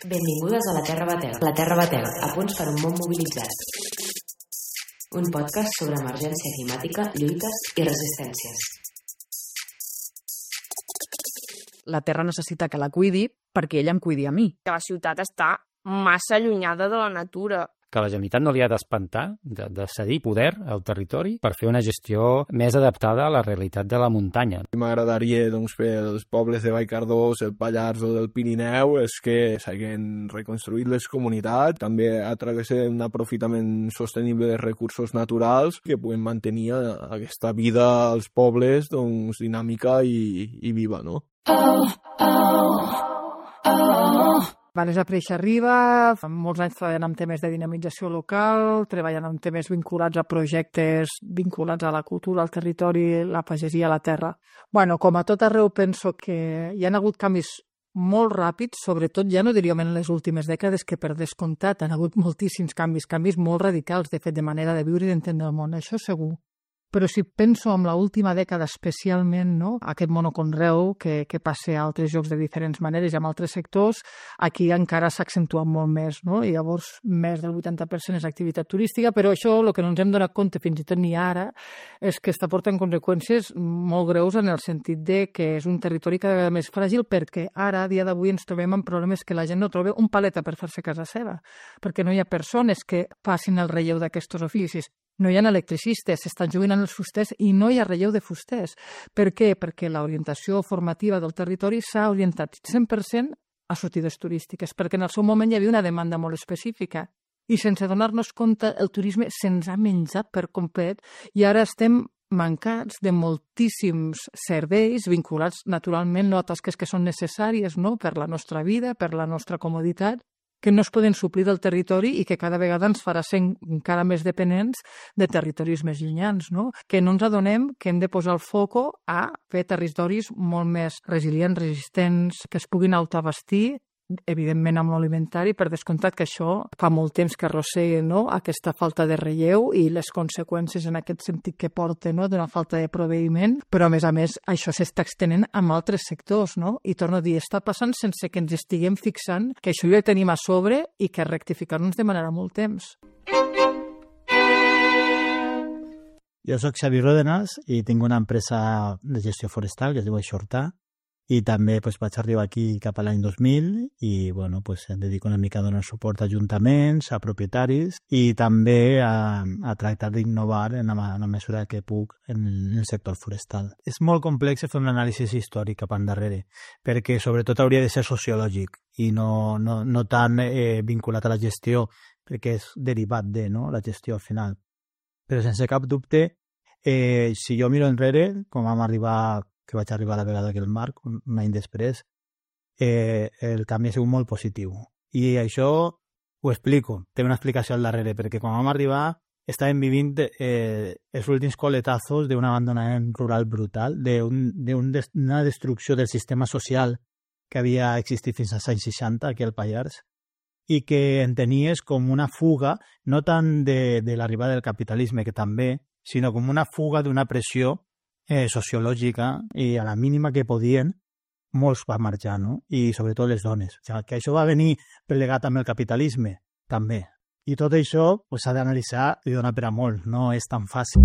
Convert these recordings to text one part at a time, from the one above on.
Benvingudes a La Terra Batega. La Terra Batega, a punts per un món mobilitzat. Un podcast sobre emergència climàtica, lluites i resistències. La Terra necessita que la cuidi perquè ella em cuidi a mi. Que la ciutat està massa allunyada de la natura. Que la Generalitat no li ha d'espantar, de cedir poder al territori per fer una gestió més adaptada a la realitat de la muntanya. M'agradaria fer els pobles de Vallcardós, el Pallars o del Pirineu és que s'hagin reconstruït les comunitats, també a través d'un aprofitament sostenible de recursos naturals que puguen mantenir aquesta vida als pobles dinàmica i viva, no? Vanessa Preix arriba, fa molts anys treballant amb temes de dinamització local, treballant amb temes vinculats a projectes vinculats a la cultura, al territori, la pagesia, la terra. Bueno, com a tot arreu penso que hi ha hagut canvis molt ràpids, sobretot ja no diríem en les últimes dècades, que per descomptat han hagut moltíssims canvis molt radicals, de fet, de manera de viure i d'entendre el món, això segur. Però si penso en l'última dècada especialment, no? Aquest monoconreu que passa a altres llocs de diferents maneres i amb altres sectors, aquí encara s'ha accentuat molt més, no? I llavors més del 80% és activitat turística, però això el que no ens hem donat compte fins i tot ni ara és que està portant conseqüències molt greus en el sentit de que és un territori cada vegada més fràgil perquè ara, a dia d'avui, ens trobem amb problemes que la gent no troba un paleta per fer-se casa seva, perquè no hi ha persones que facin el relleu d'aquests oficis. No hi ha electricistes, s'estan jubilant els fusters i no hi ha relleu de fusters. Per què? Perquè l'orientació formativa del territori s'ha orientat 100% a sortides turístiques, perquè en el seu moment hi havia una demanda molt específica i sense donar-nos compte el turisme se'ns ha menjat per complet i ara estem mancats de moltíssims serveis vinculats naturalment a tasques que són necessàries, no? Per la nostra vida, per la nostra comoditat, que no es poden suplir del territori i que cada vegada ens farà ser encara més dependents de territoris més llunyans, no? Que no ens adonem que hem de posar el foco a fer territoris molt més resilients, resistents, que es puguin autoabastir, evidentment amb l'alimentari, per descomptat que això fa molt temps que arrossega, no? Aquesta falta de relleu i les conseqüències en aquest sentit que porta, no? D'una falta de proveïment, però a més això s'està extenent amb altres sectors, no? I torno a dir, està passant sense que ens estiguem fixant que això ja ho tenim a sobre i que rectificar-ho ens demanarà molt temps. Jo soc Xavi Ródenas i tinc una empresa de gestió forestal que es diu Aixortar. I també vaig arribar aquí cap a l'any 2000 i em dedico una mica a donar suport a ajuntaments, a propietaris i també a tractar d'innovar en la mesura que puc en el sector forestal. És molt complex fer un anàlisi històric cap endarrere, perquè sobretot hauria de ser sociològic i no tan vinculat a la gestió, perquè és derivat de, no?, la gestió al final. Però sense cap dubte, si jo miro enrere, com vaig arribar a la vegada que el Marc, un any després, el canvi ha sigut molt positiu. I això ho explico, té una explicació al darrere, perquè quan vam arribar estàvem vivint els últims coletazos d'un abandonament rural brutal, d'una destrucció del sistema social que havia existit fins als anys 60 aquí al Pallars i que entenies com una fuga, no tant de l'arribada del capitalisme, que també, sinó com una fuga d'una pressió sociològica i a la mínima que podien molts van marxar, no? I sobretot les dones. O sigui, que això va venir plegat amb el capitalisme, també. I tot això s'ha d'analitzar i donar per a molt, no és tan fàcil.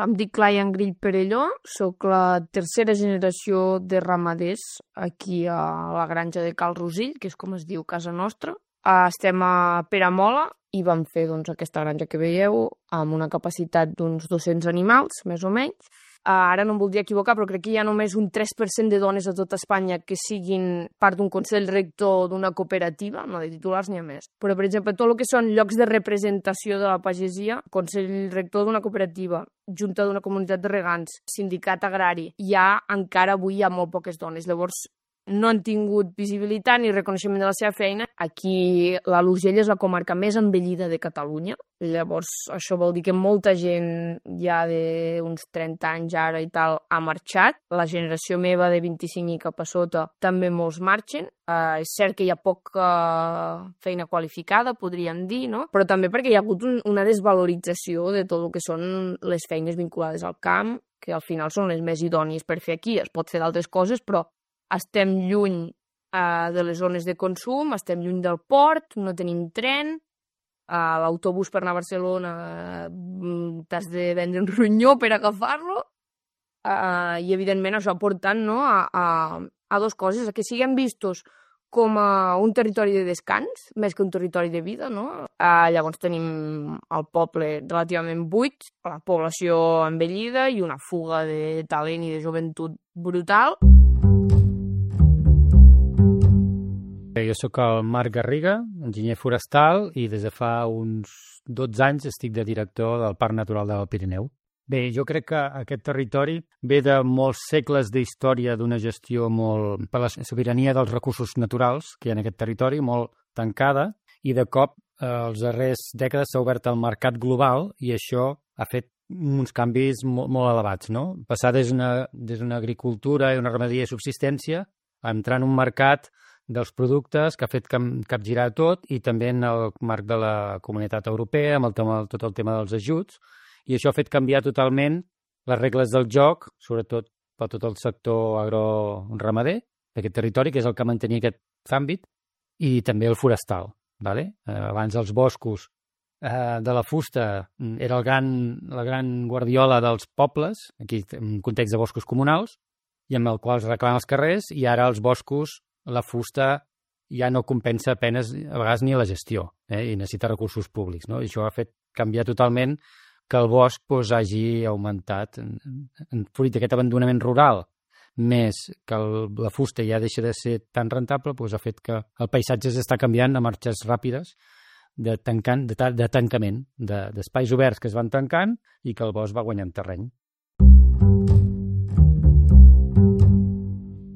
Em dic Laia Grill Perelló, soc la tercera generació de ramaders aquí a la granja de Cal Rosill, que és com es diu casa nostra. Estem a Peramola i vam fer aquesta granja que veieu amb una capacitat d'uns 200 animals, més o menys. Ara no em voldria equivocar, però crec que hi ha només un 3% de dones a tota Espanya que siguin part d'un consell rector d'una cooperativa, no de titulars ni a més. Però, per exemple, tot el que són llocs de representació de la pagesia, consell rector d'una cooperativa, junta d'una comunitat de regants, sindicat agrari, encara avui hi ha molt poques dones. Llavors, no han tingut visibilitat ni reconeixement de la seva feina. Aquí l'Alt Urgell és la comarca més envellida de Catalunya. Llavors, això vol dir que molta gent ja d'uns 30 anys ara i tal ha marxat. La generació meva de 25 i cap a sota també molts marxen. És cert que hi ha poca feina qualificada, podríem dir, no? Però també perquè hi ha hagut una desvalorització de tot el que són les feines vinculades al camp, que al final són les més idònies per fer aquí. Es pot fer d'altres coses, però estem lluny de les zones de consum, estem lluny del port, no tenim tren, l'autobús per anar a Barcelona t'has de vendre un ronyó per agafar-lo, i evidentment això portant, no, a dues coses, a que siguem vistos com a un territori de descans, més que un territori de vida, no? Llavors tenim el poble relativament buit, la població envellida i una fuga de talent i de joventut brutal. Jo sóc el Marc Garriga, enginyer forestal, i des de fa uns 12 anys estic de director del Parc Natural del Pirineu. Bé, jo crec que aquest territori ve de molts segles d'història d'una gestió molt per la sobirania dels recursos naturals que hi ha en aquest territori, molt tancada, i de cop els darrers dècades s'ha obert al mercat global i això ha fet uns canvis molt elevats, no? Passar des d'una agricultura i una ramaderia de subsistència a entrar en un mercat dels productes que ha fet capgirar tot, i també en el marc de la Comunitat Europea, amb tot el tema dels ajuts, i això ha fet canviar totalment les regles del joc, sobretot per tot el sector agroramader d'aquest territori, que és el que mantenia aquest àmbit, i també el forestal. Vale? Abans els boscos de la fusta era la gran guardiola dels pobles, aquí en un context de boscos comunals, i amb el qual es reclamen els carrers, i ara els boscos, la fusta ja no compensa apenes, a vegades, ni la gestió, i necessita recursos públics, no? I això ha fet canviar totalment que el bosc hagi augmentat fruit d'aquest abandonament rural, més que la fusta ja deixa de ser tan rentable, ha fet que el paisatge s'està canviant a marxes ràpides de tancament, d'espais oberts que es van tancant i que el bosc va guanyant terreny.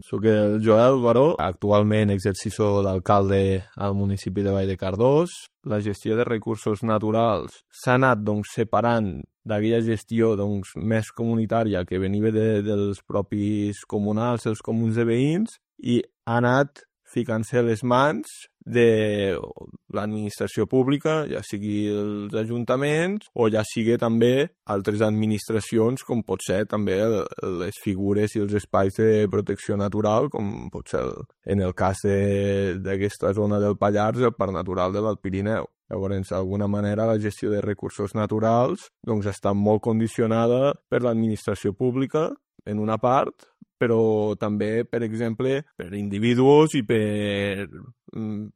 Soc el Joel Baró, actualment exercicio d'alcalde al municipi de Vall de Cardós. La gestió de recursos naturals s'ha anat separant d'aquella gestió més comunitària que venia dels propis comunals, els comuns de veïns, i ha anat ficant-se a les mans de l'administració pública, ja sigui els ajuntaments o ja sigui també altres administracions, com pot ser també les figures i els espais de protecció natural, com pot ser en el cas d'aquesta zona del Pallars, el Parc Natural de l'Alt Pirineu. Llavors, d'alguna manera, la gestió de recursos naturals està molt condicionada per l'administració pública, en una part, però també, per exemple, per individus i per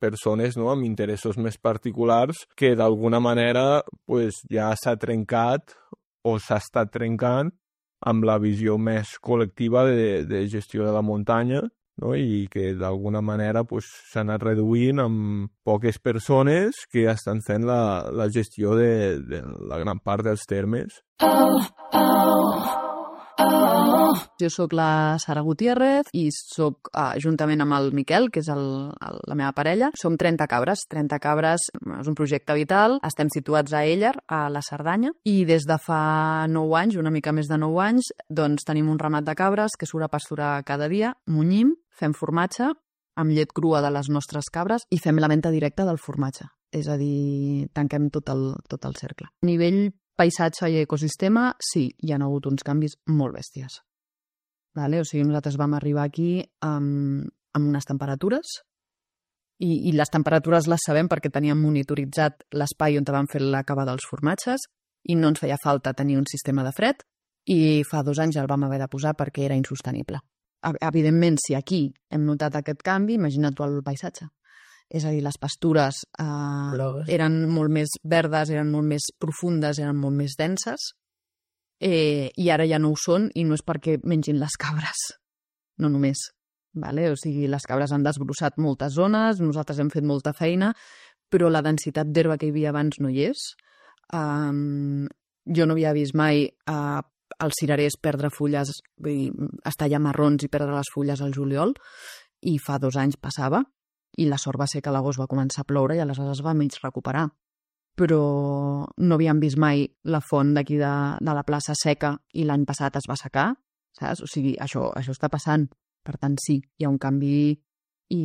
persones amb interessos més particulars que d'alguna manera ja s'ha trencat o s'ha estat trencant amb la visió més col·lectiva de gestió de la muntanya, no? I que d'alguna manera s'ha anat reduint amb poques persones que estan fent la gestió de la gran part dels termes. Jo sóc la Sara Gutiérrez i sóc, juntament amb el Miquel, que és la meva parella, som 30 cabres. 30 cabres és un projecte vital. Estem situats a Éller, a la Cerdanya, i des de fa 9 anys, una mica més de 9 anys, tenim un ramat de cabres que surt a pasturar cada dia, munyim, fem formatge amb llet crua de les nostres cabres i fem la venda directa del formatge. És a dir, tanquem tot el cercle. A nivell paisatge i ecosistema, sí, hi ha hagut uns canvis molt bèsties. O sigui, nosaltres vam arribar aquí amb unes temperatures i les temperatures les sabem perquè teníem monitoritzat l'espai on vam fer la cava dels formatges i no ens feia falta tenir un sistema de fred i fa 2 anys el vam haver de posar perquè era insostenible. Evidentment, si aquí hem notat aquest canvi, imagina't tu el paisatge. És a dir, les pastures eren molt més verdes, eren molt més profundes, eren molt més denses, i ara ja no ho són, i no és perquè mengin les cabres, no només. O sigui, les cabres han desbrossat moltes zones, nosaltres hem fet molta feina, però la densitat d'herba que hi havia abans no hi és. Jo no havia vist mai els cirerers perdre fulles, estar ja marrons i perdre les fulles al juliol, i fa 2 anys passava, i la sort va ser que a l'agost va començar a ploure i aleshores va mig recuperar. Però no havíem vist mai la font d'aquí de la plaça seca i l'any passat es va secar, saps? O sigui, això està passant. Per tant, sí, hi ha un canvi i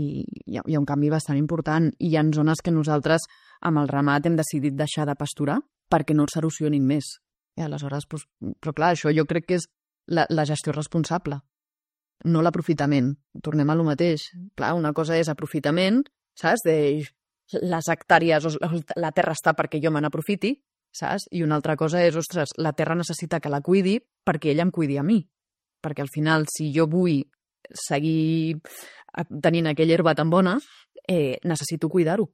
hi ha un canvi bastant important. I hi ha zones que nosaltres, amb el ramat, hem decidit deixar de pasturar perquè no s'erosionin més. I aleshores, però clar, això jo crec que és la gestió responsable. no l'aprofitament. Tornem a lo mateix. Clar, una cosa és aprofitament, saps? De les hectàrees, la terra està perquè jo me n'aprofiti, saps? I una altra cosa és, ostres, la terra necessita que la cuidi perquè ella em cuidi a mi. Perquè al final, si jo vull seguir tenint aquella herba tan bona, necessito cuidar-ho.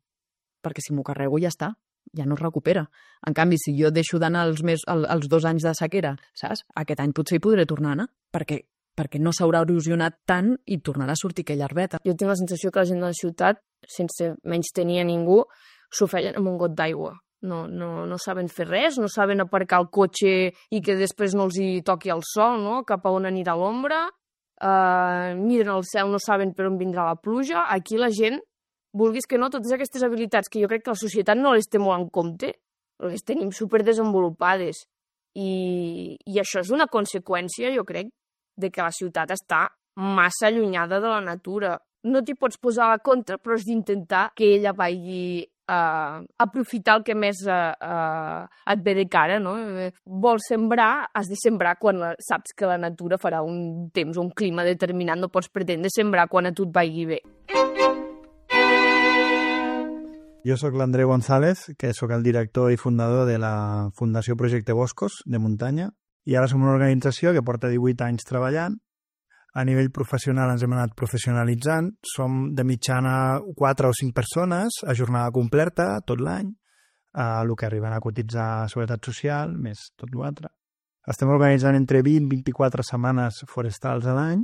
Perquè si m'ho carrego ja està, ja no es recupera. En canvi, si jo deixo d'anar els 2 anys de sequera, saps? Aquest any potser hi podré tornar a anar, perquè no s'haurà erosionat tant i tornarà a sortir aquella herbeta. Jo tinc la sensació que la gent de la ciutat, sense menys tenir a ningú, s'ho feien amb un got d'aigua. No saben fer res, no saben aparcar el cotxe i que després no els hi toqui el sol, no? Cap a on anirà l'ombra, miren el cel, no saben per on vindrà la pluja. Aquí la gent, vulguis que no, totes aquestes habilitats que jo crec que la societat no les té molt en compte, les tenim superdesenvolupades. I això és una conseqüència, jo crec, de que la ciutat està massa allunyada de la natura. No t'hi pots posar a la contra, però has d'intentar que ella vagi aprofitar el que més et ve de cara, no? Vols sembrar, has de sembrar quan saps que la natura farà un temps, un clima determinat, no pots pretendre sembrar quan a tu et vagi bé. Jo sóc l'Andreu González, que sóc el director i fundador de la Fundació Projecte Boscos de Muntanya, i ara som una organització que porta 18 anys treballant. A nivell professional ens hem anat professionalitzant. Som de mitjana 4 o 5 persones a jornada completa tot l'any, el que arriben a cotitzar a Seguretat Social, més tot l'altre. Estem organitzant entre 20 i 24 setmanes forestals a l'any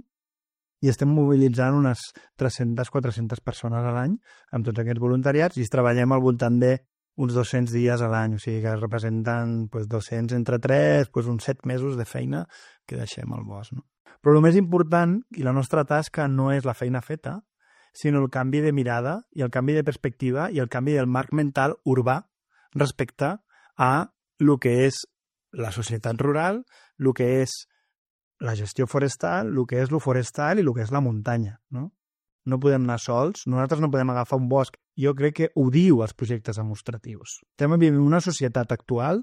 i estem mobilitzant unes 300-400 persones a l'any amb tots aquests voluntariats i treballem al voltant de uns 200 dies a l'any, o sigui que representen 200 entre 3, uns 7 mesos de feina que deixem al bosc. No? Però el més important, i la nostra tasca, no és la feina feta, sinó el canvi de mirada i el canvi de perspectiva i el canvi del marc mental urbà respecte a el que és la societat rural, el que és la gestió forestal, el que és lo forestal i el que és la muntanya, no? No podem anar sols, nosaltres no podem agafar un bosc. Jo crec que ho diu els projectes demostratius. Estem vivint una societat actual,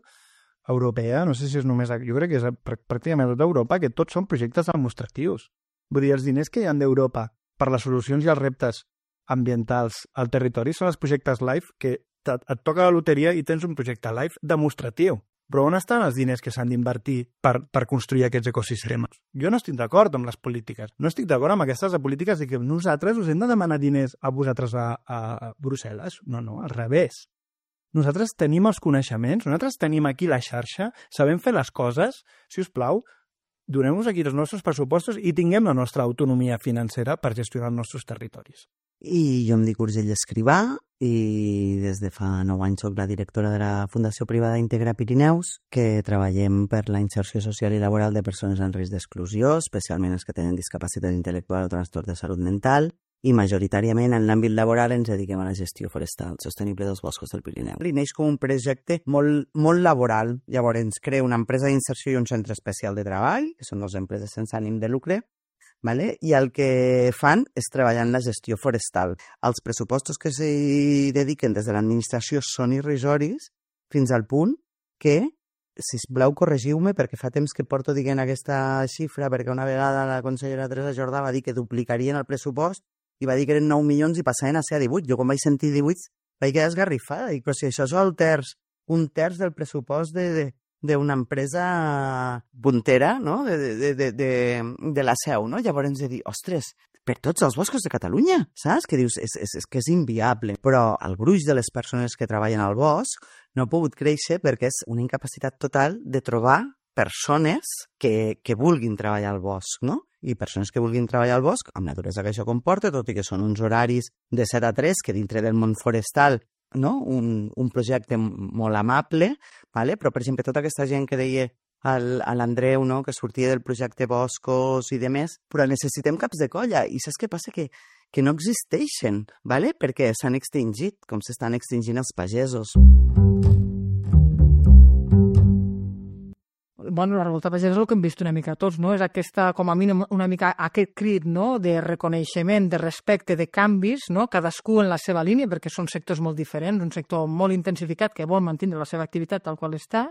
europea, no sé si és només... Jo crec que és pràcticament tota Europa, que tots són projectes demostratius. Vull dir, els diners que hi ha d'Europa per les solucions i els reptes ambientals al territori són els projectes LIFE, que et toca la loteria i tens un projecte LIFE demostratiu. Però on estan els diners que s'han d'invertir per construir aquests ecosistemes? Jo no estic d'acord amb les polítiques. No estic d'acord amb aquestes polítiques de que nosaltres us hem de demanar diners a vosaltres a Brussel·les. No, al revés. Nosaltres tenim els coneixements, nosaltres tenim aquí la xarxa, sabem fer les coses. Si us plau, donem-nos aquí els nostres pressupostos i tinguem la nostra autonomia financera per gestionar els nostres territoris. I jo em dic Urgell Escrivà i des de fa 9 anys soc la directora de la Fundació Privada Integra Pirineus, que treballem per la inserció social i laboral de persones en risc d'exclusió, especialment els que tenen discapacitat intel·lectual o trastorn de salut mental, i majoritàriament en l'àmbit laboral ens dediquem a la gestió forestal sostenible dels boscos del Pirineu. I neix com un projecte molt laboral. Llavors ens crea una empresa d'inserció i un centre especial de treball, que són 2 empreses sense ànim de lucre, vale? I el que fan és treballar en la gestió forestal. Els pressupostos que s'hi dediquen des de l'administració són irrisoris fins al punt que, sisplau, corregiu-me, perquè fa temps que porto dient aquesta xifra, perquè una vegada la consellera Teresa Jordà va dir que duplicarien el pressupost i va dir que eren 9 milions i passaven a ser a 18. Jo, quan vaig sentir 18, vaig quedar esgarrifada. Dic, però si això és un terç del pressupost d'una empresa puntera, no? de la Seu, no? Llavors ens he dit, ostres, per tots els boscos de Catalunya, saps? Que dius, és que és inviable. Però el gruix de les persones que treballen al bosc no ha pogut créixer perquè és una incapacitat total de trobar persones que vulguin treballar al bosc, no? I persones que vulguin treballar al bosc, amb la duresa que això comporta, tot i que són uns horaris de 7 a 3, que dintre del món forestal, no? Un projecte molt amable, vale? Però, per exemple, tota aquesta gent que deia a l'Andreu, no? Que sortia del projecte Boscos i demés, però necessitem caps de colla. I saps què passa? Que no existeixen, vale? Perquè s'han extingit, com s'estan extingint els pagesos. Bueno, la revolta pagesa és el que hem vist una mica tots, no? És aquesta, com a mínim, una mica aquest crit, no?, de reconeixement, de respecte, de canvis, no?, cadascú en la seva línia, perquè són sectors molt diferents, un sector molt intensificat que vol mantenir la seva activitat tal qual està,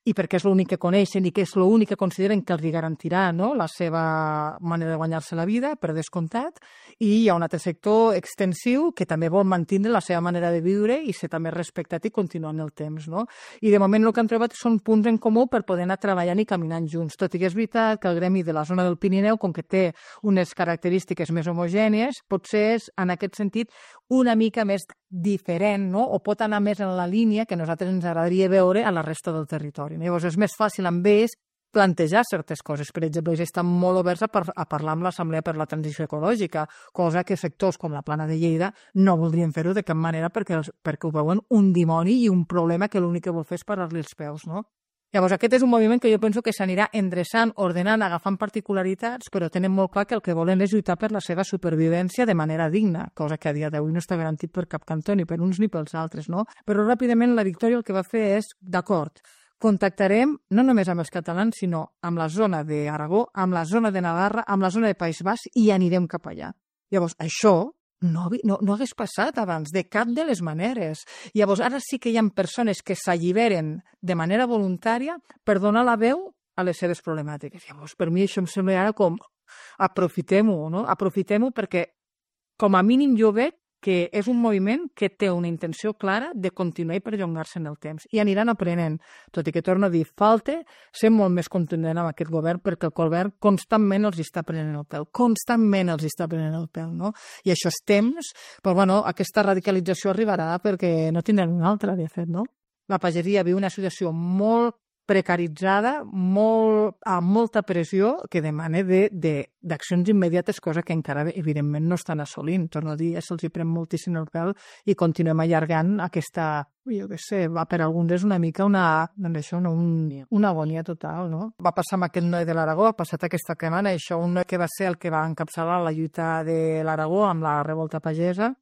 i perquè és l'únic que coneixen i que és l'únic que consideren que els garantirà, no?, la seva manera de guanyar-se la vida, per descomptat, i hi ha un altre sector extensiu que també vol mantenir la seva manera de viure i ser també respectat i continuar en el temps, no? I de moment el que han trobat són punts en comú per poder anar treballant i caminant junts, tot i que és veritat que el gremi de la zona del Pirineu, com que té unes característiques més homogènies, potser és, en aquest sentit, una mica més diferent, no?, o pot anar més en la línia que a nosaltres ens agradaria veure a la resta del territori. Llavors és més fàcil amb ells plantejar certes coses. Per exemple, ells estan molt oberts a parlar amb l'Assemblea per la Transició Ecològica, cosa que sectors com la Plana de Lleida no voldrien fer-ho de cap manera perquè ho veuen un dimoni i un problema que l'únic que vol fer és parar-li els peus, no? Llavors, aquest és un moviment que jo penso que s'anirà endreçant, ordenant, agafant particularitats, però tenen molt clar que el que volen és lluitar per la seva supervivència de manera digna, cosa que a dia d'avui no està garantit per cap cantó, ni per uns ni pels altres, no? Però ràpidament la Victòria el que va fer és, d'acord, contactarem no només amb els catalans, sinó amb la zona d'Aragó, amb la zona de Navarra, amb la zona de País Basc i anirem cap allà. Llavors, això no hagués passat abans, de cap de les maneres. Llavors, ara sí que hi ha persones que s'alliberen de manera voluntària per donar la veu a les seves problemàtiques. Llavors, per mi això em sembla ara com aprofitem-ho, no? Aprofitem-ho perquè, com a mínim, jo veig que és un moviment que té una intenció clara de continuar i perllongar-se en el temps. I aniran aprenent, tot i que torno a dir, falta ser molt més contundent amb aquest govern perquè el govern constantment els està prenent el pèl, no? I això és temps, però bueno, aquesta radicalització arribarà perquè no tindran una altra, de fet, no? La pagesia viu una situació molt precaritzada, amb molta pressió, que demana d'accions immediates, cosa que encara, evidentment, no estan assolint. Torno a dir, se'ls hi pren moltíssim el pèl i continuem allargant aquesta, jo què sé, per alguns és una mica una agonia total, no? Va passar amb aquest Noe de l'Aragó, ha passat aquesta setmana, això, un Noe que va ser el que va encapçalar la lluita de l'Aragó amb la revolta pagesa,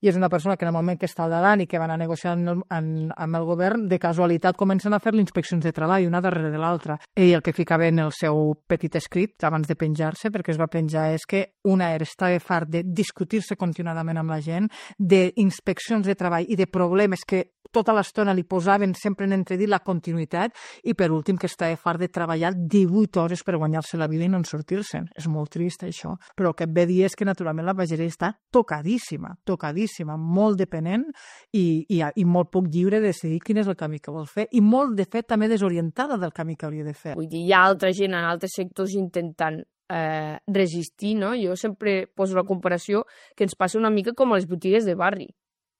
i és una persona que en el moment que està al davant i que va anar negociant amb el govern, de casualitat comencen a fer-li inspeccions de treball, una darrere de l'altra. I el que ficava en el seu petit escrit, abans de penjar-se, perquè es va penjar, és que estava fart de discutir-se continuadament amb la gent, d'inspeccions de treball i de problemes que tota l'estona li posaven sempre en entredit la continuïtat, i per últim que estava fart de treballar 18 hores per guanyar-se la vida i no en sortir-se'n. És molt trist això, però el que et ve a dir és que naturalment la pageria està tocadíssima, molt dependent i molt poc lliure de decidir quin és el camí que vol fer i molt, de fet, també desorientada del camí que hauria de fer. Vull dir, hi ha altra gent en altres sectors intentant resistir, no? Jo sempre poso la comparació que ens passa una mica com a les botigues de barri,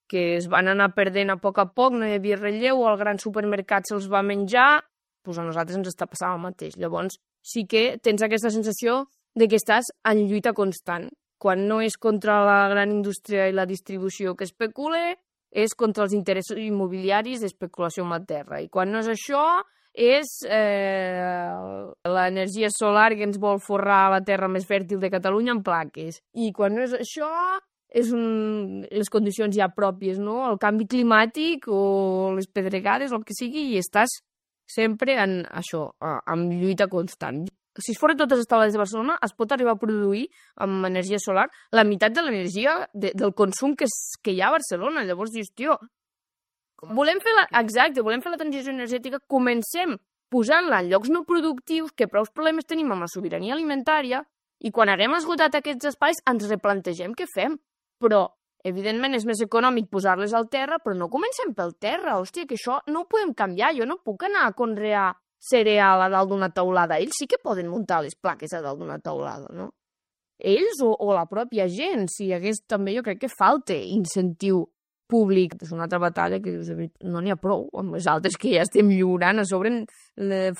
que es van anar perdent a poc, no hi havia relleu, el gran supermercat se'ls va menjar, doncs a nosaltres ens està passant el mateix. Llavors sí que tens aquesta sensació de que estàs en lluita constant. Quan no és contra la gran indústria i la distribució que especula, és contra els interessos immobiliaris d'especulació amb la terra. I quan no és això, és l'energia solar que ens vol forrar la terra més fèrtil de Catalunya en plaques. I quan no és això, és les condicions ja pròpies, no? El canvi climàtic o les pedregades, el que sigui, i estàs sempre en això, en lluita constant. Si es foren totes les taules de Barcelona, es pot arribar a produir amb energia solar la meitat de l'energia del consum que hi ha a Barcelona. Llavors dius, tio, volem fer la transició energètica, comencem posant-la en llocs no productius, que prou problemes tenim amb la sobirania alimentària, i quan haguem esgotat aquests espais ens replantegem què fem. Però, evidentment, és més econòmic posar-les al terra, però no comencem pel terra. Hòstia, que això no ho podem canviar. Jo no puc anar a conrear cereal a dalt d'una teulada. Ells sí que poden muntar les plaques a dalt d'una teulada, no? Ells o la pròpia gent. Si hi hagués també, jo crec que falta incentiu públic. És una altra batalla que no n'hi ha prou amb les altres que ja estem lliurant. A sobre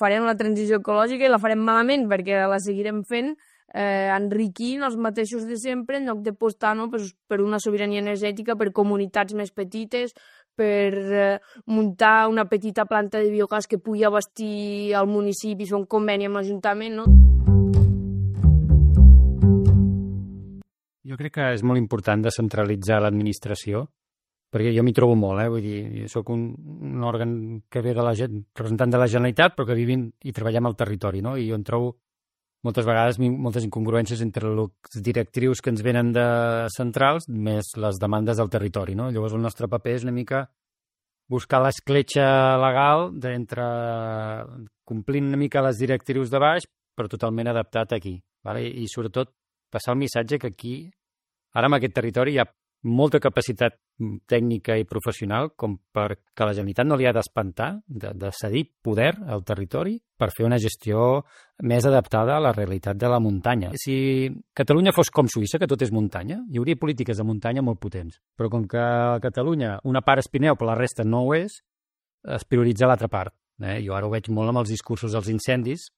farem la transició ecològica i la farem malament perquè la seguirem fent enriquint els mateixos de sempre en lloc de apostar, no, per una sobirania energètica, per comunitats més petites, per muntar una petita planta de biogàs que pugui abastir el municipi, fer un conveni amb l'Ajuntament, no? Jo crec que és molt important descentralitzar l'administració, perquè jo m'hi trobo molt, vull dir, jo soc un òrgan que ve de la representant de la Generalitat, però que vivim i treballem al territori, no? I jo em trobo moltes vegades moltes incongruències entre els directrius que ens venen de centrals més les demandes del territori, no? Llavors el nostre paper és una mica buscar l'escletxa legal d'entre complint una mica les directrius de baix, però totalment adaptat aquí. Vale? I sobretot passar el missatge que aquí, ara en aquest territori, hi ha molta capacitat tècnica i professional com perquè la Generalitat no li ha d'espantar de cedir poder al territori per fer una gestió més adaptada a la realitat de la muntanya. Si Catalunya fos com Suïssa, que tot és muntanya, hi hauria polítiques de muntanya molt potents. Però com que a Catalunya una part és Pirineu però la resta no ho és, es prioritza l'altra part. Jo ara ho veig molt amb els discursos dels incendis.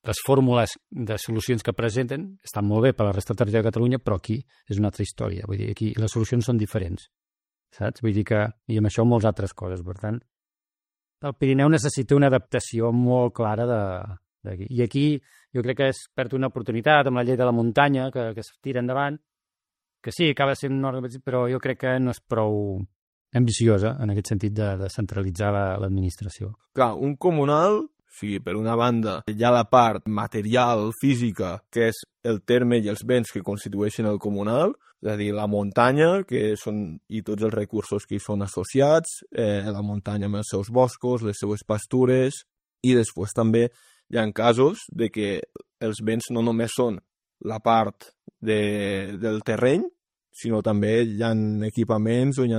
Les fórmules de solucions que presenten estan molt bé per a la resta del territori de Catalunya, però aquí és una altra història. Vull dir, aquí les solucions són diferents, saps? Vull dir que, i amb això moltes altres coses. Per tant, el Pirineu necessita una adaptació molt clara d'aquí. I aquí jo crec que es perd una oportunitat amb la llei de la muntanya, que es tira endavant, que sí, acaba sent una organització, però jo crec que no és prou ambiciosa en aquest sentit de centralitzar l'administració. Clar, un comunal... O sigui, per una banda, hi ha la part material, física, que és el terme i els béns que constitueixen el comunal, és a dir, la muntanya i tots els recursos que hi són associats, la muntanya amb els seus boscos, les seues pastures, i després també hi ha casos de que els béns no només són la part del terreny, sinó també hi ha equipaments o hi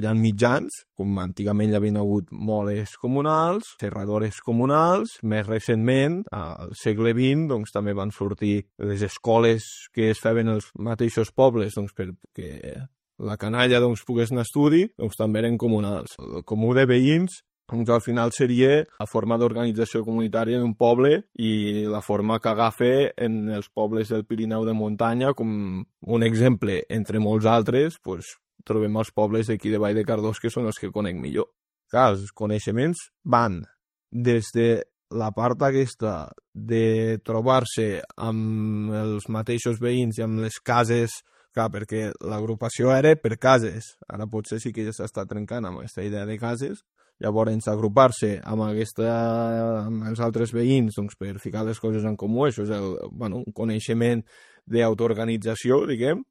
ha mitjans, com antigament hi havia hagut moles comunals, serradores comunals. Més recentment, al segle XX, doncs, també van sortir les escoles que es feien als mateixos pobles doncs, perquè la canalla pogués anar a estudi, doncs, també eren comunals. El comú de veïns doncs al final seria la forma d'organització comunitària d'un poble i la forma que agafa en els pobles del Pirineu de muntanya, com un exemple, entre molts altres, doncs, trobem els pobles d'aquí de Vall de Cardós, que són els que conec millor. Clar, els coneixements van des de la part aquesta de trobar-se amb els mateixos veïns i amb les cases, clar, perquè l'agrupació era per cases, ara potser sí que ja s'està trencant amb aquesta idea de cases. Llavors, agrupar-se amb els altres veïns doncs, per ficar les coses en comú, això és un coneixement d'autoorganització, diguem,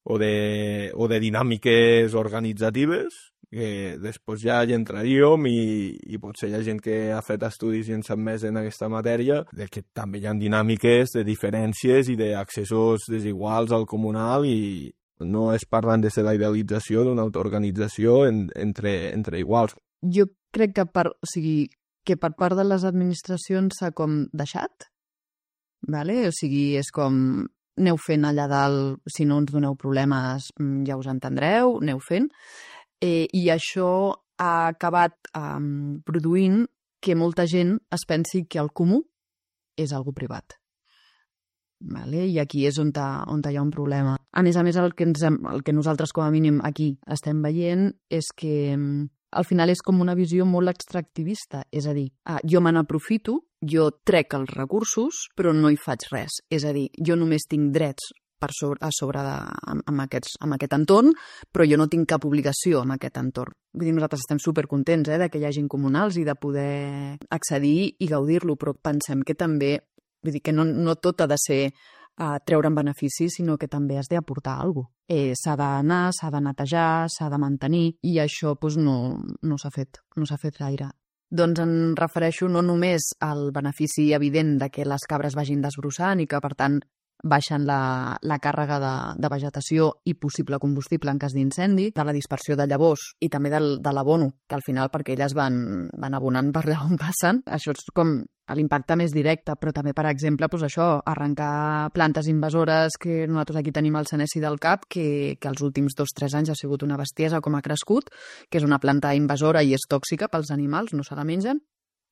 o de dinàmiques organitzatives, que després ja hi entraríem i potser hi ha gent que ha fet estudis i en sap més en aquesta matèria, de que també hi ha dinàmiques de diferències i d'accessos desiguals al comunal i no es parlen de la idealització d'una autoorganització entre iguals. Jo crec que per part de les administracions s'ha com deixat, vale? O sigui, és com aneu fent allà dalt, si no ens doneu problemes ja us entendreu, aneu fent. I això ha acabat produint que molta gent es pensi que el comú és algo privat. Vale? I aquí és on hi ha un problema. A més, el que nosaltres com a mínim aquí estem veient és que al final és com una visió molt extractivista, és a dir, jo me n'aprofito, jo trec els recursos, però no hi faig res. És a dir, jo només tinc drets amb aquest entorn, però jo no tinc cap obligació amb aquest entorn. Vull dir, nosaltres estem supercontents de que hi hagin comunals i de poder accedir i gaudir-lo, però pensem que també, vull dir que no tot ha de ser treure'n beneficis, sinó que també has d'aportar alguna cosa. S'ha d'anar, s'ha de netejar, s'ha de mantenir, i això no s'ha fet gaire. Doncs em refereixo no només al benefici evident de que les cabres vagin desbrossant i que, per tant, baixen la càrrega de vegetació i possible combustible en cas d'incendi, de la dispersió de llavors i també de l'abono, que al final, perquè elles van abonant per allà on passen, això és com l'impacte més directe, però també, per exemple, arrencar plantes invasores, que nosaltres aquí tenim el senesi del cap, que els últims 2-3 anys ha sigut una bestiesa com ha crescut, que és una planta invasora i és tòxica pels animals, no se la mengen,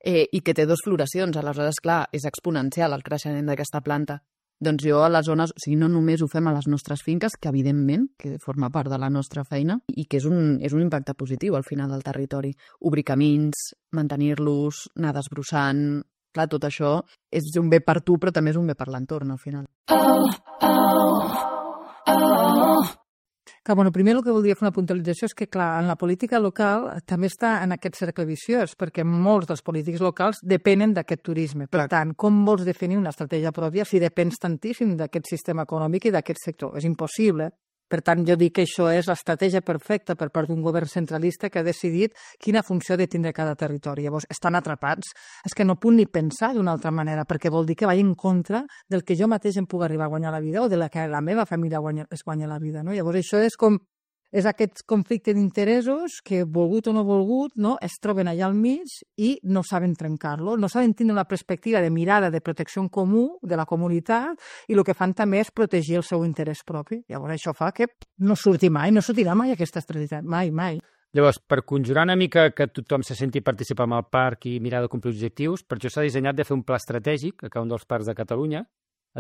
i que té 2 floracions. Aleshores, clar, és exponencial el creixement d'aquesta planta. Doncs jo a les zones, o sigui, no només ho fem a les nostres finques, que evidentment que forma part de la nostra feina i que és un impacte positiu al final del territori. Obrir camins, mantenir-los, anar desbrossant. Clar, tot això és un bé per tu, però també és un bé per l'entorn, al final. Clar, primer el que voldria fer una puntualització és que, clar, en la política local també està en aquest cercle viciós, perquè molts dels polítics locals depenen d'aquest turisme. Per tant, com vols definir una estratègia pròpia si depens tantíssim d'aquest sistema econòmic i d'aquest sector? És impossible. Per tant, jo dic que això és l'estratègia perfecta per part d'un govern centralista que ha decidit quina funció ha de tindre cada territori. Llavors, estan atrapats. És que no puc ni pensar d'una altra manera, perquè vol dir que vaig en contra del que jo mateix em puc arribar a guanyar la vida o de la que la meva família es guanya la vida. No? Llavors, això és aquest conflicte d'interessos que, volgut o no volgut, no, es troben allà al mig i no saben trencar-lo, no saben tenir una perspectiva de mirada de protecció en comú de la comunitat i el que fan també és protegir el seu interès propi. Llavors això fa que no sortirà mai aquesta estabilitat, mai. Llavors, per conjurar una mica que tothom se senti participar en el parc i mirar de complir objectius, per això s'ha dissenyat de fer un pla estratègic a cada un dels parcs de Catalunya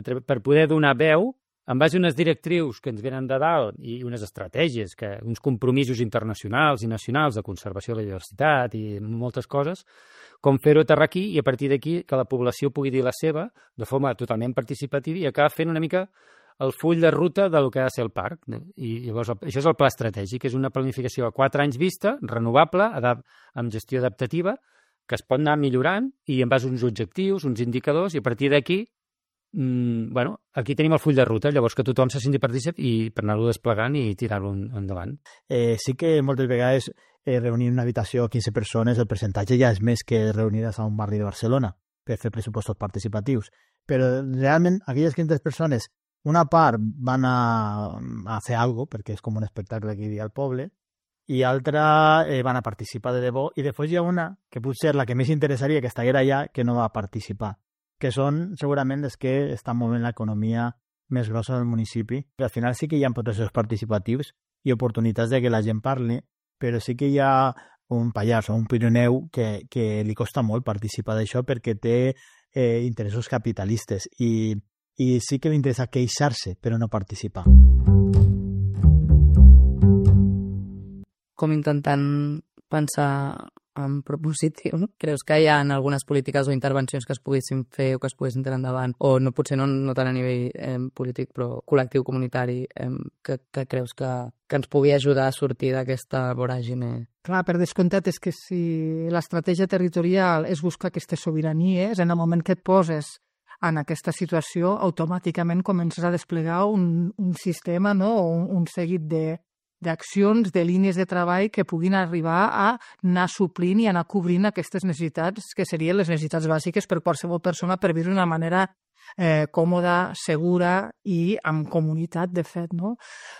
per poder donar veu en base a unes directrius que ens venen de dalt i unes estratègies, uns compromisos internacionals i nacionals de conservació de la diversitat i moltes coses, com fer-ho aterrar aquí i a partir d'aquí que la població pugui dir la seva de forma totalment participativa i acabar fent una mica el full de ruta del que ha de ser el parc. I llavors això és el pla estratègic, és una planificació a 4 anys vista, renovable, amb gestió adaptativa, que es pot anar millorant i en base a uns objectius, uns indicadors, i a partir d'aquí aquí tenim el full de ruta, llavors que tothom se senti partícip i per anar-lo desplegant i tirar-lo endavant. Sí que moltes vegades reunir en una habitació 15 persones, el percentatge ja és més que reunides a un barri de Barcelona per fer pressupostos participatius. Però realment aquelles 15 persones, una part van a fer alguna cosa, perquè és com un espectacle que hi havia al poble, i altra van a participar de debò, i després hi ha una que potser la que més interessaria que estiguera allà que no va participar, que són segurament les que estan movent l'economia més grossa del municipi. Al final sí que hi ha processos participatius i oportunitats de que la gent parli, però sí que hi ha un Pallars o un Pirineu que li costa molt participar d'això perquè té interessos capitalistes i sí que li interessa queixar-se però no participar. Com intentant pensar en propositiu, no? Creus que hi ha algunes polítiques o intervencions que es poguessin fer o que es poguessin tenir endavant, o no, potser no tant a nivell polític, però col·lectiu, comunitari, que creus que ens pugui ajudar a sortir d'aquesta voràgine? Clar, per descomptat és que si l'estratègia territorial és buscar aquestes sobiranies, en el moment que et poses en aquesta situació, automàticament comences a desplegar un sistema, no? un seguit d'accions, de línies de treball que puguin arribar a anar suplint i anar cobrint aquestes necessitats que serien les necessitats bàsiques per qualsevol persona per viure d'una manera còmoda, segura i amb comunitat, de fet, no?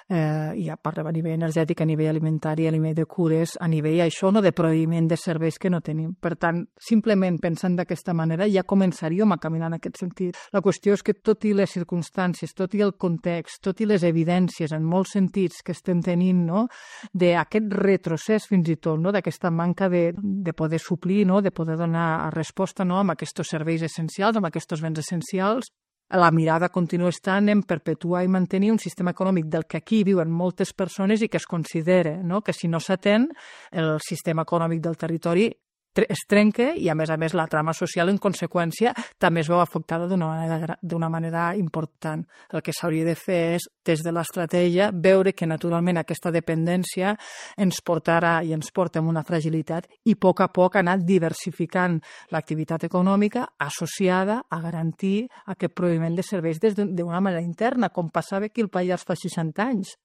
I parlem a nivell energètic, a nivell alimentari, a nivell de cures, a nivell això, no, de proveïment de serveis que no tenim. Per tant, simplement pensant d'aquesta manera ja començaríem a caminar en aquest sentit. La qüestió és que tot i les circumstàncies, tot i el context, tot i les evidències en molts sentits que estem tenint, no, d'aquest retrocés fins i tot, no, d'aquesta manca de poder suplir, no, de poder donar resposta, no, amb aquests serveis essencials, amb aquests béns essencials, la mirada continua estant en perpetuar i mantenir un sistema econòmic del que aquí viuen moltes persones i que es considera, no, que si no s'atén el sistema econòmic del territori es trenca i, a més, la trama social, en conseqüència, també es veu afectada d'una manera important. El que s'hauria de fer és, des de l'estratègia, veure que, naturalment, aquesta dependència ens portarà i ens porta a una fragilitat i, a poc, anar diversificant l'activitat econòmica associada a garantir aquest proveïment de serveis d'una manera interna, com passava aquí al Pallars fa 60 anys.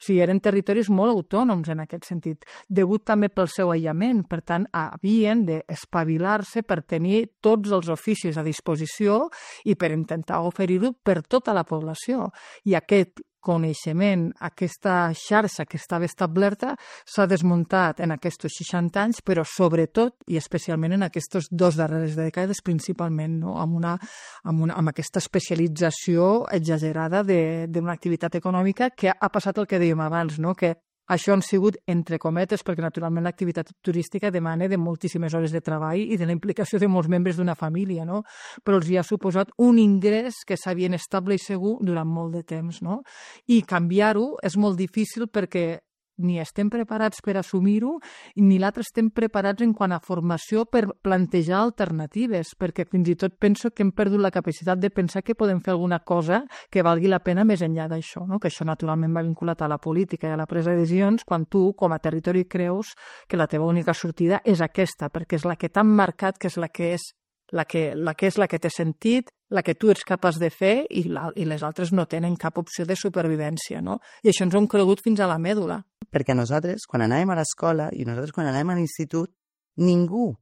O sigui, eren territoris molt autònoms en aquest sentit, degut també pel seu aïllament. Per tant, havien d'espavilar-se per tenir tots els oficis a disposició i per intentar oferir-ho per tota la població. I aquest coneixement, aquesta xarxa que estava establerta s'ha desmuntat en aquests 60 anys, però sobretot i especialment en aquestes 2 darreres dècades principalment, no? amb aquesta especialització exagerada d'una activitat econòmica que ha passat el que dèiem abans, no? Que això han sigut, entre cometes, perquè naturalment l'activitat turística demana de moltíssimes hores de treball i de la implicació de molts membres d'una família, no? Però els hi ha suposat un ingrés que s'havia estable i segur durant molt de temps, no? I canviar-ho és molt difícil perquè ni estem preparats per assumir-ho ni l'altre estem preparats en quant a formació per plantejar alternatives, perquè fins i tot penso que hem perdut la capacitat de pensar que podem fer alguna cosa que valgui la pena més enllà d'això, no? Que això naturalment va vinculat a la política i a la presa de decisions quan tu, com a territori, creus que la teva única sortida és aquesta, perquè és la que t'han marcat, que és la que és la que és la que té sentit, la que tu ets capaç de fer i les altres no tenen cap opció de supervivència, no? I això ens ho hem cregut fins a la mèdula. Perquè nosaltres, quan anàvem a l'escola i nosaltres quan anàvem a l'institut, ningú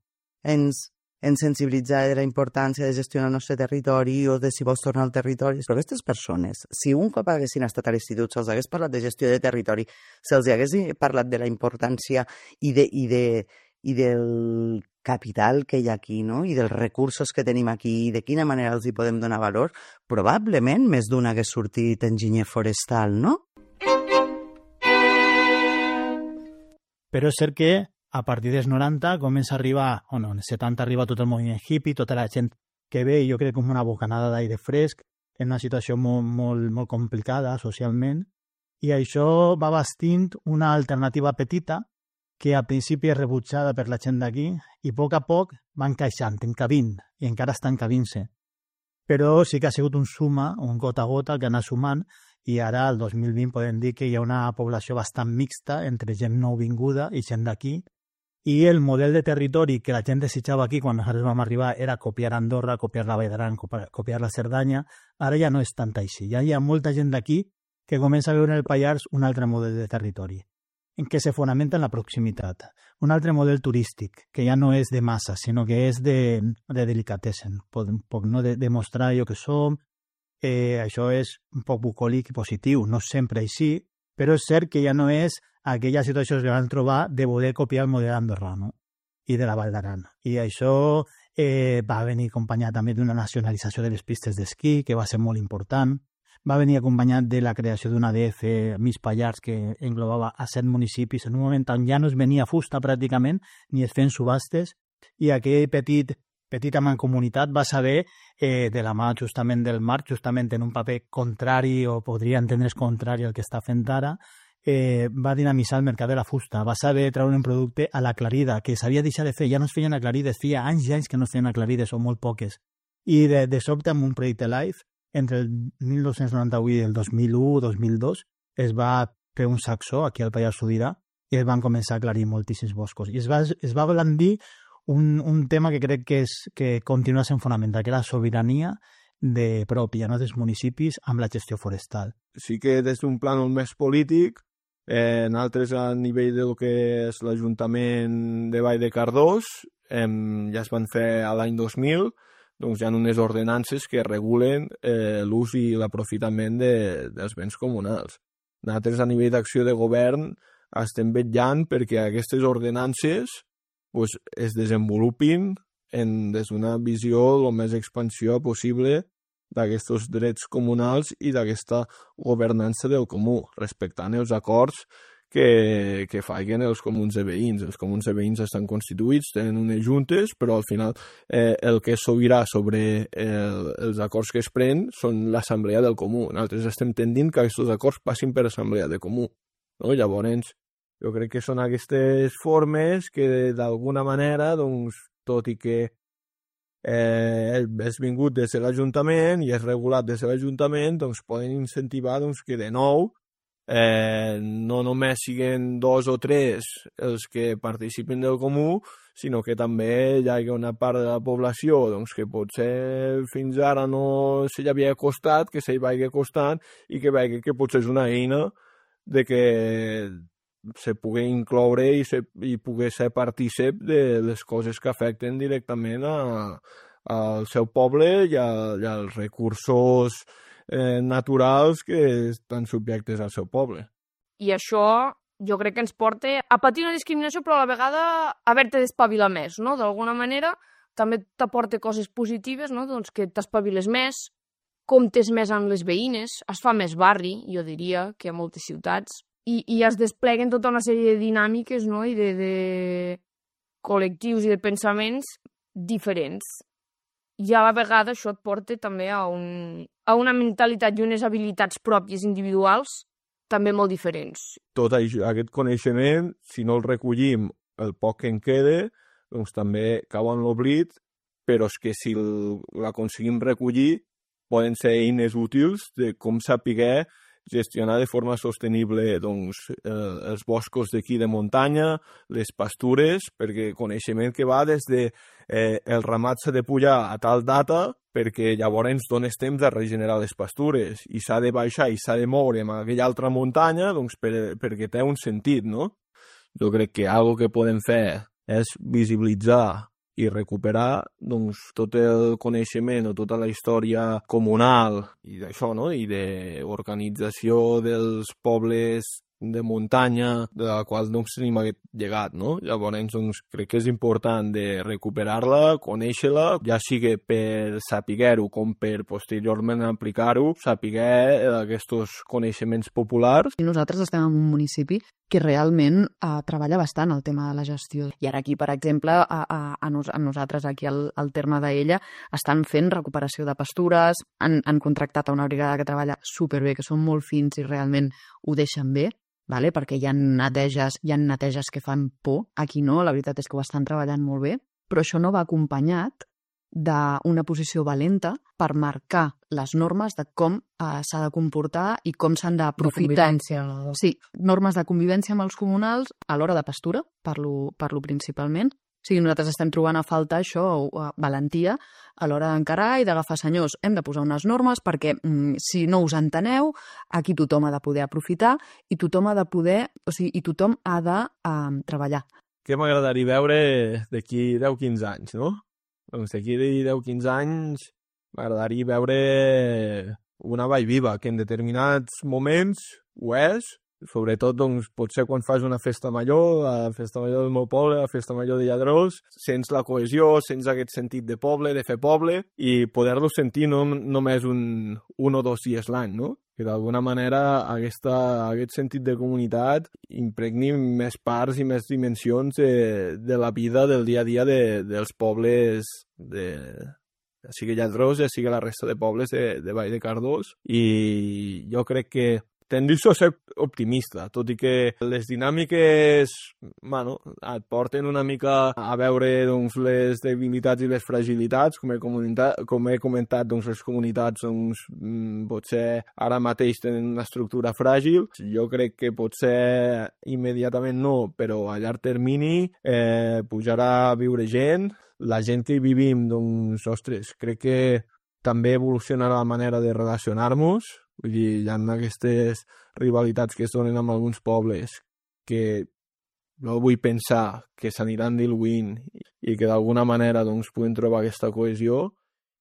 ens sensibilitzava de la importància de gestionar el nostre territori o de si vols tornar al territori. Però aquestes persones, si un cop haguessin estat a l'institut, se'ls hagués parlat de gestió de territori, se'ls hagués parlat de la importància i del capital que hi ha aquí, no? I dels recursos que tenim aquí i de quina manera els hi podem donar valor, probablement més d'un hagués sortit enginyer forestal, no? Però és cert que a partir dels 90 comença a arribar, o no, en els 70 arriba tot el moviment hippie, tota la gent que ve, jo crec, com una bocanada d'aire fresc, en una situació molt complicada socialment, i això va bastint una alternativa petita que al principi és rebutjada per la gent d'aquí i a poc va encaixant, encabint, i encara està encabint-se. Però sí que ha sigut un gota a gota que ha anat sumant, i ara, al 2020, podem dir que hi ha una població bastant mixta entre gent nouvinguda i gent d'aquí, i el model de territori que la gent desitjava aquí quan nosaltres vam arribar era copiar Andorra, copiar la Vall d'Aran, copiar la Cerdanya. Ara ja no és tant així. Ja hi ha molta gent d'aquí que comença a veure en el Pallars un altre model de territori, en què se fonamenta en la proximitat. Un altre model turístic, que ja no és de massa, sinó que és de delicatessen. Un poc, no? De mostrar allò que som. Això és un poc bucòlic i positiu. No sempre així, però és cert que ja no és aquella situació que van trobar de poder copiar el model andorrano i de la Vall d'Aran. I això va venir acompanyat també d'una nacionalització de les pistes d'esquí, que va ser molt important. Va venir acompanyat de la creació d'una ADF Mig Pallars que englobava a 7 municipis en un moment on ja no es venia fusta pràcticament, ni es feien subhastes, i aquell petita mancomunitat va saber, de la mà justament del mar, justament en un paper contrari, o podria entendre's contrari al que està fent ara, va dinamitzar el mercat de la fusta, va saber treure un producte a l'aclarida, que s'havia deixat de fer, ja no es feien aclarides, feia anys i anys que no es feien aclarides, o molt poques. I de sobte, amb un projecte LIFE, entre el 1998 i el 2001-2002, es va fer un sacsó aquí al Pallars Sobirà i es van començar a aclarir moltíssims boscos. I es va blandir un tema que crec que continua sent fonamental, que era la sobirania pròpia, no, dels municipis amb la gestió forestal. Sí que des d'un pla més polític, en altres a nivell del que és l'Ajuntament de Vall de Cardós, ja es van fer a l'any 2000, doncs hi ha unes ordenances que regulen l'ús i l'aprofitament dels béns comunals. Nosaltres a nivell d'acció de govern estem vetllant perquè aquestes ordenances es desenvolupin des d'una visió el més expansiva possible d'aquests drets comunals i d'aquesta governança del comú, respectant els acords que facin els comuns de veïns. Els comuns de veïns estan constituïts, tenen unes juntes, però al final el que és sobirà sobre els acords que es pren són l'assemblea del comú. Nosaltres estem tendint que aquests acords passin per assemblea de comú. No? Llavors, jo crec que són aquestes formes que d'alguna manera, doncs, tot i que és vingut des de l'Ajuntament i és regulat des de l'Ajuntament, doncs poden incentivar que de nou no només siguin 2 o 3 els que participen del comú, sinó que també hi ha una part de la població que potser fins ara no se li havia costat, que se li vagi costant i que vegi que potser és una eina de que se pugui incloure i pugui ser partícip de les coses que afecten directament al seu poble i als recursos naturals que estan subjectes al seu poble. I això jo crec que ens porta a patir una discriminació, però a la vegada a haver-te d'espavilar més, no? D'alguna manera també t'aporta coses positives, no? Doncs que t'espaviles més, comptes més amb les veïnes, es fa més barri, jo diria, que a moltes ciutats, i es despleguen tota una sèrie de dinàmiques, no? I de col·lectius i de pensaments diferents. I a la vegada això et porta també a una mentalitat i unes habilitats pròpies individuals també molt diferents. Tot aquest coneixement, si no el recollim el poc que en queda, doncs també cau en l'oblit, però és que si l'aconseguim recollir poden ser eines útils de com saber gestionar de forma sostenible els boscos d'aquí de muntanya, les pastures, perquè coneixement que va des de el ramat s'ha de pujar a tal data perquè llavors ens dones temps de regenerar les pastures i s'ha de baixar i s'ha de moure en aquella altra muntanya perquè té un sentit, no? Jo crec que algo que podem fer és visibilitzar i recuperar tot el coneixement o tota la història comunal i d'això, no? I d'organització dels pobles de muntanya, de la qual tenim aquest llegat, no? Llavors, crec que és important de recuperar-la, conèixer-la, ja sigui per saber-ho com per posteriorment aplicar-ho, saber aquests coneixements populars. I nosaltres estem en un municipi que realment treballa bastant el tema de la gestió. I ara aquí, per exemple, a nosaltres aquí al terme d'Ella estan fent recuperació de pastures, han contractat a una brigada que treballa superbé, que són molt fins i realment ho deixen bé, vale? Perquè hi ha neteges que fan por. Aquí no, la veritat és que ho estan treballant molt bé, però això no va acompanyat d'una posició valenta per marcar les normes de com s'ha de comportar i com s'han d'aprofitar. Sí, normes de convivència amb els comunals a l'hora de pastura, parlo principalment. O sigui, nosaltres estem trobant a falta això, valentia, a l'hora d'encarar i d'agafar senyors. Hem de posar unes normes perquè, si no us enteneu, aquí tothom ha de poder aprofitar i tothom ha de poder, o sigui, i tothom ha de treballar. Què m'agradaria veure d'aquí 10-15 anys, no? Doncs d'aquí 10-15 anys m'agradaria veure una vall viva, que en determinats moments ho és, sobretot, potser quan fas una festa major, la festa major del meu poble, la festa major de Lladrós, sents la cohesió, sents aquest sentit de poble, de fer poble, i poder-lo sentir no només un o 2 dies l'any, no? Que d'alguna manera aquest sentit de comunitat impregni més parts i més dimensions de la vida del dia a dia dels pobles ja sigui Lladrós, ja sigui la resta de pobles de Vall de Cardós, i jo crec que tendeixo a ser optimista, tot i que les dinàmiques et porten una mica a veure les debilitats i les fragilitats, com he comentat, les comunitats potser ara mateix tenen una estructura fràgil. Jo crec que potser immediatament no, però a llarg termini pujarà a viure gent. La gent que hi vivim, crec que també evolucionarà la manera de relacionar-nos. Vull dir, hi ha aquestes rivalitats que es donen amb alguns pobles que no vull pensar que s'aniran diluint i que d'alguna manera puguin trobar aquesta cohesió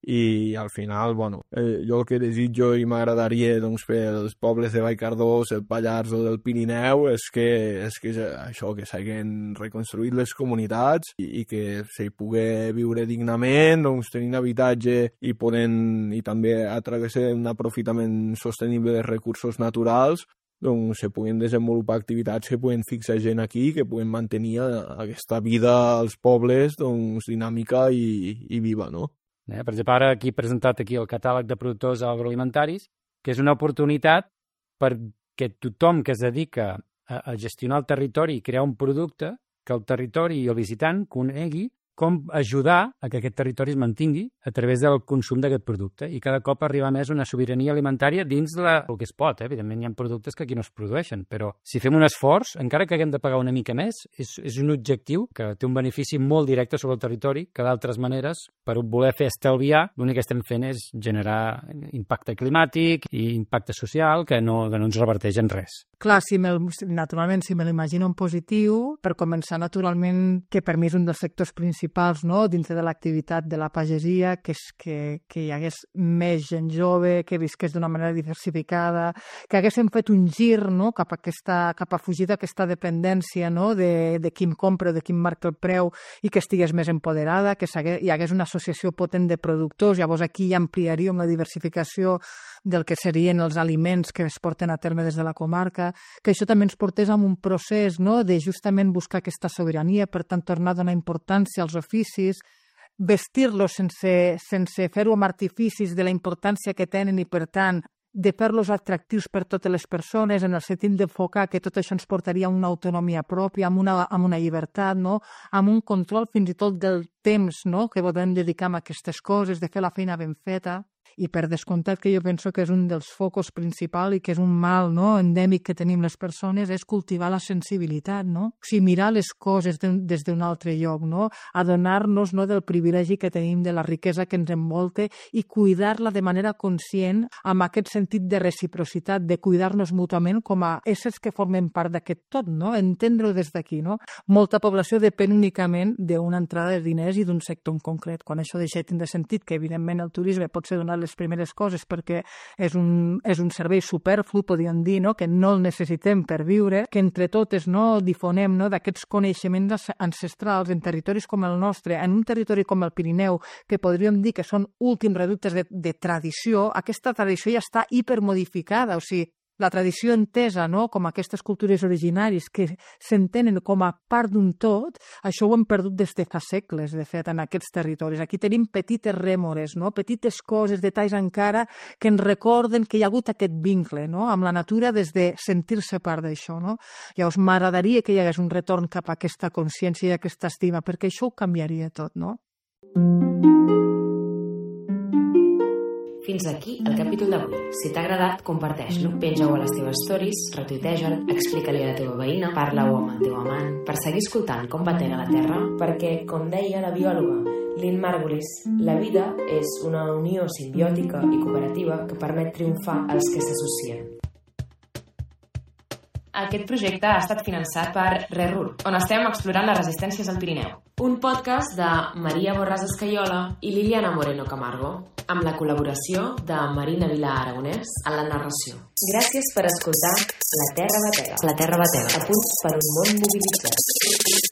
i al final, jo el que desitjo i m'agradaria per als pobles de Vallcardós, el Pallars o del Pirineu és que això, que s'hagin reconstruït les comunitats i que s'hi pugui viure dignament, tenint habitatge i també a través d'un aprofitament sostenible de recursos naturals, se puguin desenvolupar activitats que puguin fixar gent aquí, que puguin mantenir aquesta vida als pobles dinàmica i viva, no? Per exemple, ara aquí he presentat el catàleg de productors agroalimentaris, que és una oportunitat perquè tothom que es dedica a gestionar el territori i crear un producte, que el territori i el visitant conegui com ajudar a que aquest territori es mantingui a través del consum d'aquest producte i cada cop arribar més a una sobirania alimentària dins el que es pot. Evidentment hi ha productes que aquí no es produeixen, però si fem un esforç, encara que haguem de pagar una mica més, és un objectiu que té un benefici molt directe sobre el territori que d'altres maneres, per voler fer estalviar, l'únic que estem fent és generar impacte climàtic i impacte social que no ens reverteix en res. Clar, naturalment, si me l'imagino en positiu, per començar, naturalment, que per mi és un dels sectors principals, no?, dintre de l'activitat de la pagesia, que hi hagués més gent jove, que visqués d'una manera diversificada, que haguéssim fet un gir, no?, cap a fugir d'aquesta dependència, no?, de qui em compra, de qui em marca el preu, i que estigués més empoderada, que hi hagués una associació potent de productors. Llavors aquí ja ampliaríem la diversificació del que serien els aliments que es porten a terme des de la comarca, que això també ens portés a un procés, no?, de justament buscar aquesta sobirania, per tant tornar a donar importància als oficis, vestir-los sense fer-ho amb artificis de la importància que tenen i, per tant, de fer-los atractius per totes les persones, en el sentit d'enfocar que tot això ens portaria a una autonomia pròpia, amb una llibertat, no?, amb un control fins i tot del temps, no?, que podem dedicar a aquestes coses, de fer la feina ben feta. I per descomptat que jo penso que és un dels focus principals i que és un mal, no, endèmic que tenim les persones, és cultivar la sensibilitat, no? O sigui, mirar les coses des d'un altre lloc, no? Adonar-nos, no, del privilegi que tenim, de la riquesa que ens envolta i cuidar-la de manera conscient amb aquest sentit de reciprocitat, de cuidar-nos mútuament com a éssers que formen part d'aquest tot, no? Entendre-ho des d'aquí, no? Molta població depèn únicament d'una entrada de diners i d'un sector en concret. Quan això deixa de tindre sentit, que evidentment el turisme pot ser donar les primeres coses perquè és un servei superflu, podríem dir, no? Que no el necessitem per viure, que entre totes, no, difonem, no, d'aquests coneixements ancestrals en territoris com el nostre, en un territori com el Pirineu, que podríem dir que són últims reductes de tradició. Aquesta tradició ja està hipermodificada, o sigui, la tradició entesa, no, com aquestes cultures originaris que s'entenen com a part d'un tot, això ho hem perdut des de fa segles, de fet, en aquests territoris. Aquí tenim petites rèmores, no, petites coses, detalls encara, que ens recorden que hi ha hagut aquest vincle, no, amb la natura des de sentir-se part d'això, no. Llavors, m'agradaria que hi hagués un retorn cap a aquesta consciència i aquesta estima, perquè això ho canviaria tot, no? Fins aquí el capítol d'avui. Si t'ha agradat, comparteix-lo, penja-ho a les teves stories, retuiteja-lo, explica-li a la teva veïna, parla-ho amb el teu amant, per seguir escoltant com batega la Terra, perquè, com deia la biòloga Lynn Margulis, la vida és una unió simbiòtica i cooperativa que permet triomfar als que s'associen. Aquest projecte ha estat finançat per RERUR, on estem explorant les resistències al Pirineu. Un podcast de Maria Borràs Escaiola i Liliana Moreno Camargo, amb la col·laboració de Marina Vilà Aragonès en la narració. Gràcies per escoltar La Terra Batega. La Terra Batega. A punts per un món mobilitzat.